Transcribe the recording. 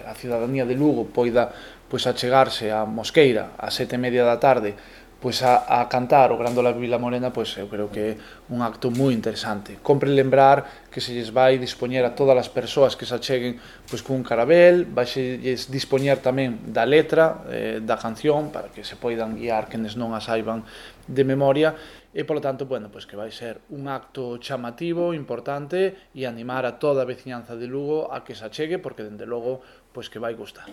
a cidadanía de Lugo poida pois achegarse á Mosqueira ás 7:30 da tarde pois a cantar o Grándola Vila Morena, pois eu creo que é un acto moi interesante. Compre lembrar que se lles vai dispoñer a todas as persoas que se acheguen pois cun carabel, vai se lles dispoñer tamén da letra da canción para que se poidan guiar quenes non a saiban de memoria e polo tanto, bueno, pois que vai ser un acto chamativo, importante e animar a toda a veciñanza de Lugo a que se achegue porque dende logo pois que vai gustar.